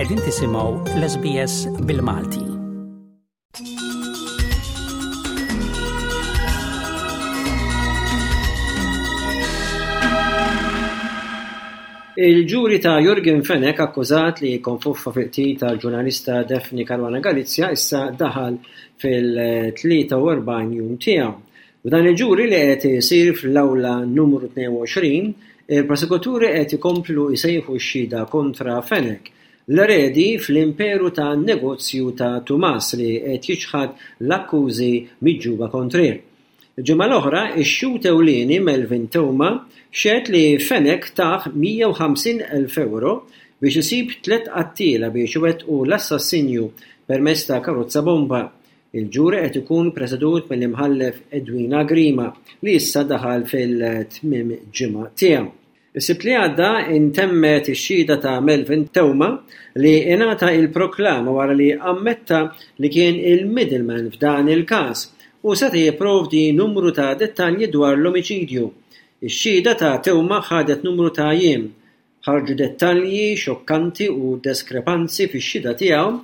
Qegħdin tisimgħu l-SBS bil-Malti. Il-ġuri ta' Yorgen Fenech akkużat li konfuffa fil-qtil tal-ġurnalista Daphne Caruana Galizia issa daħal fil-43 jum tiegħu. F'dan il-ġuri li qed isir fl-awla numru 22, il-prosekuturi qed ikomplu jsejħu x-xhieda kontra Fenech, l-eredi fl-imperu ta' negozju ta' Tumas li qed jiċħad l-akkużi miġjuba kontrih. Il-ġimgħa l-oħra, ix-xhud ewlieni Melvin Theuma xehed li Fenech tah 150,000 ewro biex isib tlett qattiela biex iwettqu l-assassinju permezz ta' karozza bomba. Il-ġuri qed ikun presedut mill-Imħallef Edwina Grima li issa daħal fil-tmiem ġimgħa tiegħu. Is-Sibt li għadda intemmet ix-xhieda ta' Melvin Theuma li ingħata il-proklama wara li ammetta li kien il-middleman f'dan il-każ u seta' jipprovdi numru ta' dettalji dwar l-omiċidju. Ix-xhieda ta' Theuma ħadet numru ta' jiem Ħarġu dettalji xokkanti u deskrepanzi fix-xhieda tiegħu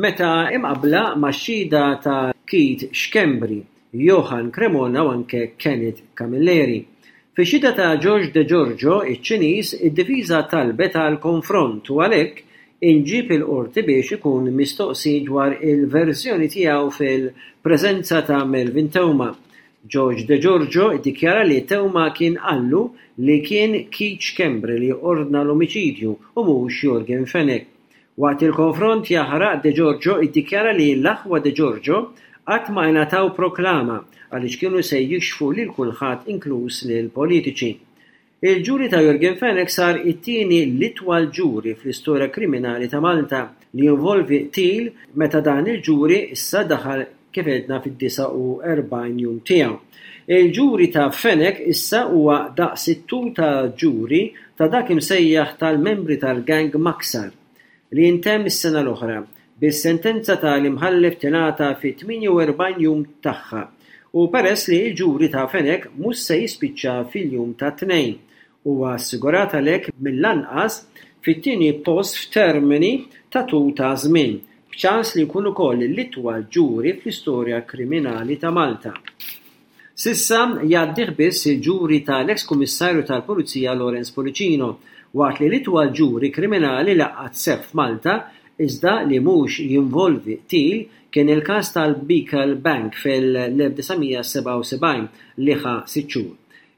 meta imqabbla max-xhieda ta' Keith Schembri, Johann Cremona u anke Kenneth Camilleri. Fix-xhieda ta' George Degiorgio, iċ-Ċiniż, id-difiża talbet għal konfront u għalhekk inġieb il-Qorti biex ikun mistoqsi dwar il-verżjoni tiegħu fil-preżenza ta' Melvin Theuma. George Degiorgio ddikjara li Theuma kien qallu li kien Keith Schembri li ordna l-omiċidju u mhux Yorgen Fenech. Waqt il-konfront jaħraq Degiorgio ddikjara li l-aħwa Degiorgio qatt ma ingħataw proklama għaliex kienu se jikxfu lil kulħadd inkluż lill-politiċi. Il-ġuri ta' Yorgen Fenech sar it-tieni l-itwal ġuri fl-istorja kriminali ta' Malta li jinvolvi qtil meta dan il-ġuri issa daħal kif għedna fid-49 jum tiegħu. Il-ġuri ta' Fenech issa huwa daqs it-tul ta' ġuri ta' dak imsejjaħ tal-membri tal-gang Maksar li intemm is-sena l-oħra, bis-sentenza ta' l-imħallef tingħata fit-48 jum tagħha u peress li l-ġuri ta' Fenech mhux se jispiċċa fil-jum tat-Tnejn, huwa assigurat għalhekk mill-anqas fit-tieni post f'termini ta' tul ta' żmien, b'ċans li jkun ukoll l-itwal ġuri fl-istorja kriminali ta' Malta. S'issa jgħaddih biss il-ġuri tal-eks Kummissarju tal-Pulizija Lawrence Pullicino, waqt li l-itwal ġuri kriminali li qatt seħħ f'Malta, iżda li mhux jinvolvi qtil, kien il-każ tal-Beacon Bank fil-1977 li ħa sitt xhur.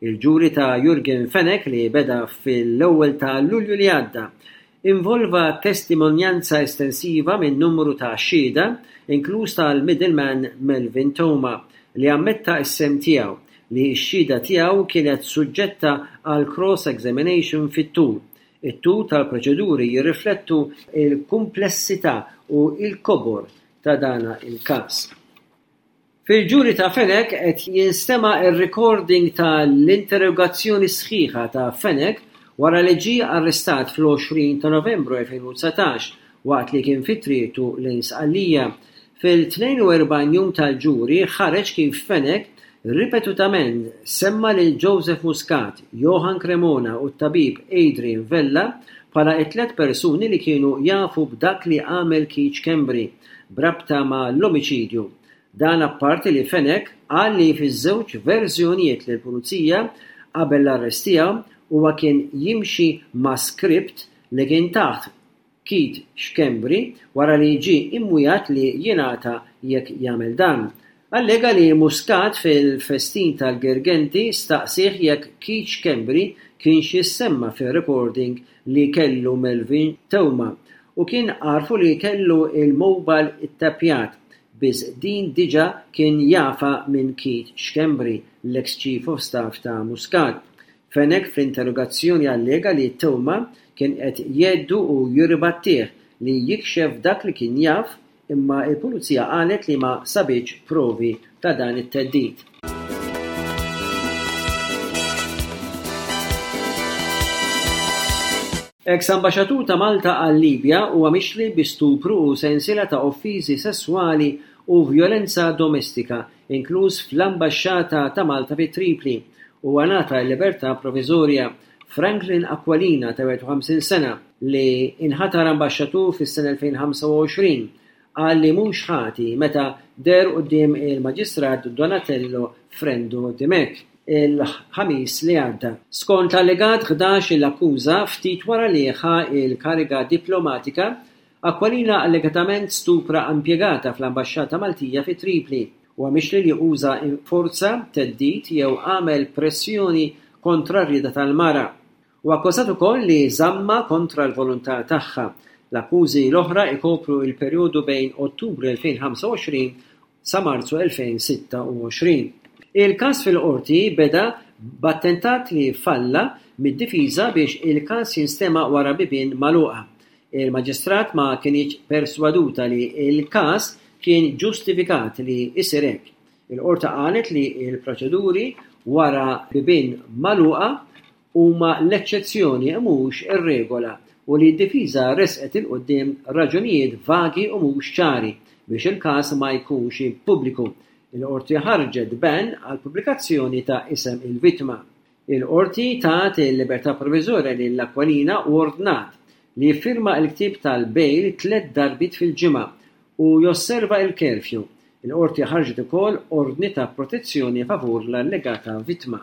Il-ġuri ta' Yorgen Fenech li beda fil-ewwel ta' Lulju li għadda, Involva testimonjanza estensiva minn numru ta' xhieda, inkluż tal-middleman Melvin Theuma, li ammetta s-sehem tiegħu, li x-xhieda tiegħu kienet suġġetta għal cross-examination fit-tul. It-tul tal-proċeduri jirriflettu l-kumplessità u l-kobor ta' dan il-każ. Fil-ġuri ta' Fenech qed jinstema' r-recording ta' l-interrogazzjoni sħiħa ta' Fenech wara li ġie arrestat fl-20 ta' Novembru 2019 waqt li kien fi triqtu lejn Sqallija. Fil-42 jum tal-ġuri ħareġ kif Fenech ripetutament semma lil Joseph Muscat, Johann Cremona u t-tabib Adrian Vella bħala t-tlett persuni li kienu jafu b'dak li għamel Keith Schembri b'rabta ma' l-omiċidju. Dan apparti li Fenech qal li fiż-żewġ verżjonijiet lill-Pulizija qabel l-arrest tiegħu huwa kien jimxi ma' script li kien tah Keith Schembri wara li ġie imwiegħed li jingħata jekk jagħmel dan. Allega li Muscat fil-festin tal-Girgenti staqsieh jekk Keith Schembri kienx jissemma fir-recording li kellu Melvin Theuma u kien għarrfu li kellu l-mobile ittappjat, biss din diġa kien jafha minn Keith Schembri, l-eks Chief of Staff ta' Muscat. Fenech fl-interrogazzjoni allega li Theuma kien qed jgħeddu u jirribattih li jikxef dak li kien jaf Imma l-Pulizija qalet li ma sabitx provi ta' dan it-theddid. Eks Ambaxxatur ta' Malta għal-Libja huwa mixli bi stupru u sensiela ta' offiżi sesswali u vjolenza domestika, inkluż fl-Ambaxxata ta' Malta fi Tripli. Huwa ngħata l-libertà proviżorja. Franklin Aquilina ta' 51 sena. li inħatar ambaxxatur fis-sena 2025, qal li mhux ħati meta deher quddiem il-Maġistrat Donatello Frendo Dimech il-Ħamis li għadda. Skont l-allegat 11-il akkuża, ftit wara li ħa l-kariga diplomatika, Aquilina allegatament stupra impjegata fl-Ambaxxata Maltija fi Tripli. Huwa mixli li uża forza, theddid jew għamel pressjoni kontra r-rieda tal-mara. Huwa akkużat ukoll li żammha kontra l-volontà tagħha. L-akkużi l-oħra jkopru l-perjodu bejn Ottubru 2025 sa Marzu 2026. Il-każ fil-Qorti beda b'attentat li falla mid-difiża biex il-każ jinstema' wara bibien magħluqa. Il-Maġistrat ma kinitx perswaduta li l-każ kien ġustifikat li jsir hekk. Il-Qorti qalet li l-proċeduri wara bibien magħluqa huma l-eċċezzjoni u mhux ir-regola u li d-difiża ressqet 'il quddiem raġunijiet vagi u mhux ċari biex il-każ ma jkunx pubbliku. Il-Qorti ħarġet ban għall-pubblikazzjoni ta' isem il-vittma. Il-Qorti tat il-libertà proviżorja lil Aquilina u ordnat li jiffirma l-ktieb tal-bail tlett darbiet fil-ġimgħa u josserva l-curfew. Il-Qorti ħarġet ukoll ordni ta' protezzjoni favur l-allegata vittma.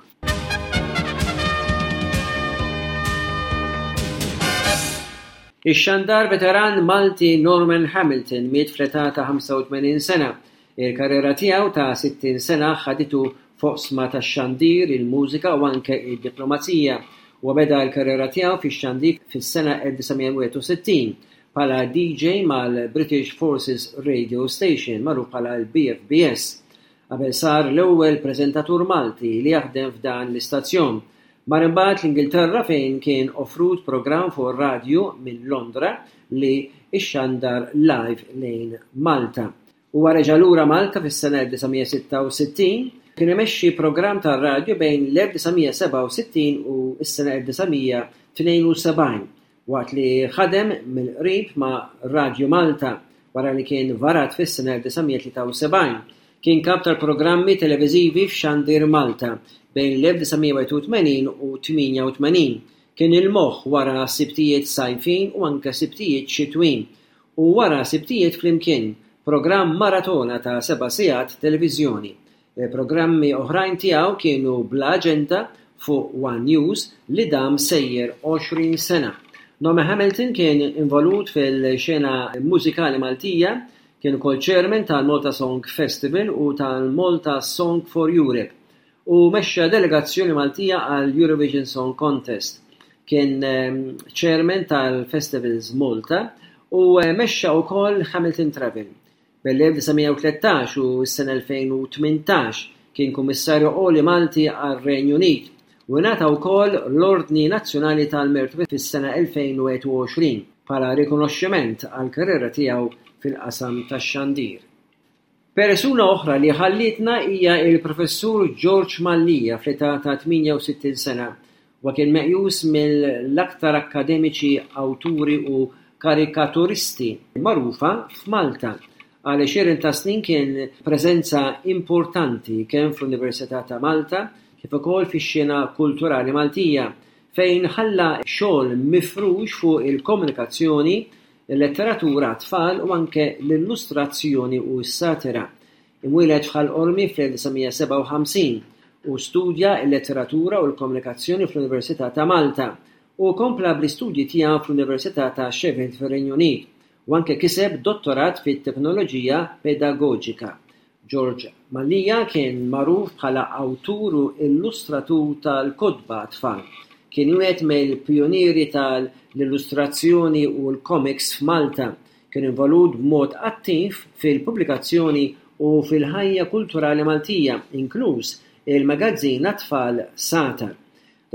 Ix-xandar veteran Malti Norman Hamilton miet fl-età ta' 85 sena. Il-karriera tiegħu ta' 60 sena ħaditu f'oqsma tax-xandir, il-mużika u anke d-diplomazija. Huwa beda l-karriera tiegħu fix-xandir fis-sena 1961 bħala DJ mal-British Forces Radio Station, magħruf bħala l-BFBS, qabel sar l-ewwel preżentatur Malti li jaħdem f'dan l-istazzjon. Mar imbagħad l-Ingilterra fejn kien offrut programm fuq ir-radju minn Londra li xxandar live lejn Malta. Huwa reġa' lura Malta fis-sena 1966. Kien imexxi programm tar-radju bejn l-1967 u s-sena 1972 waqt li ħadem mill-qrib ma' Radju Malta wara li kien varat fis-sena 1973. Kien kap tal-programmi televiżivi f'Xandir Malta bejn l-1981 u 88. Kien il-moħħ wara Sibtijiet Sajfin u anke Sibtijiet Xitwin u wara Sibtijiet Flimkien, programm maratona ta' seba' sigħat televiżjoni. Programmi oħrajn tiegħu kienu Bla Aġenda fuq One News li dam sejjer 20 sena. Norman Hamilton kien involut fil-xena mużikali Maltija, kien ukoll chairman tal-Malta Song Festival u tal-Malta Song for Europe u mexxa delegazzjoni Maltija għall-Eurovision Song Contest. Kien chairman tal-Festivals Malta u mexxa wkoll Hamilton Travel. Bejn l-1913 u s-sena 2018 kien Kummissarju Għoli Malti għar-Renju Unit u ingħata wkoll l-Ordni Nazzjonali tal-Mertu fis-sena 2021 bħala rikonoxximent għall-karriera tiegħu fil-qasam tax-xandir. Persuna oħra li ħallietna hija l-Professur George Mallia fl-età ta' 68 sena. Huwa kien meqjus mill-aktar akkademiċi, awturi u karikaturisti magħrufa f'Malta. Għal għexieren ta' snin kien preżenza importanti kemm fl-Università ta' Malta kif ukoll fix-xena kulturali Maltija, fejn ħalla xogħol mifrux fuq il-komunikazzjoni, il-letteratura għat-tfal u anke l-illustrazzjoni u s-satira. Imwieled f'Ħal Qormi fl-1957, hu studja l-Letteratura u l-Komunikazzjoni fl-Università ta' Malta u kompla bl-istudji tiegħu fl-Università ta' Sheffield fir-Renju Unit u anke kiseb dottorat fit-Teknoloġija Pedagoġika. George Mallia kien magħruf bħala awtur u illustratur tal-kotba għat-tfal. Kien wieħed mill-pijunieri tal-illustrazzjoni u l-komiks f'Malta. Kien involut b'mod attiv fil-pubblikazzjoni u fil-ħajja kulturali Maltija, inkluż il-magazzin għat-tfal Sagħtar.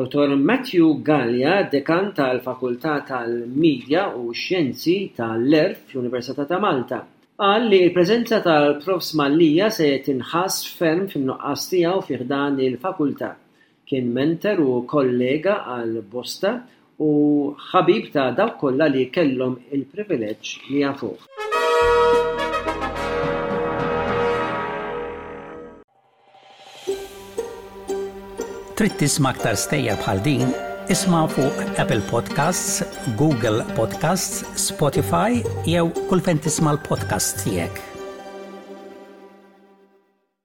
Dottor Matthew Galea, Dekan tal-Fakultà tal-Media u x-Xjenzi ta' l-Għerf fl-Università ta' Malta, qal li l-preżenza tal-Profs Mallia se tinħass ferm fin-nuqqas tiegħu fi ħdan il-Fakultà. Kien mentor u kollega għal bosta u ħabib ta' dawk kollha li kellhom il-privileġġ li jafuh. Trid tisma' aktar stejjer bħal din? Isma' fuq Apple Podcasts, Google Podcasts, Spotify jew kull fejn tisma' l-podcasts tiegħek.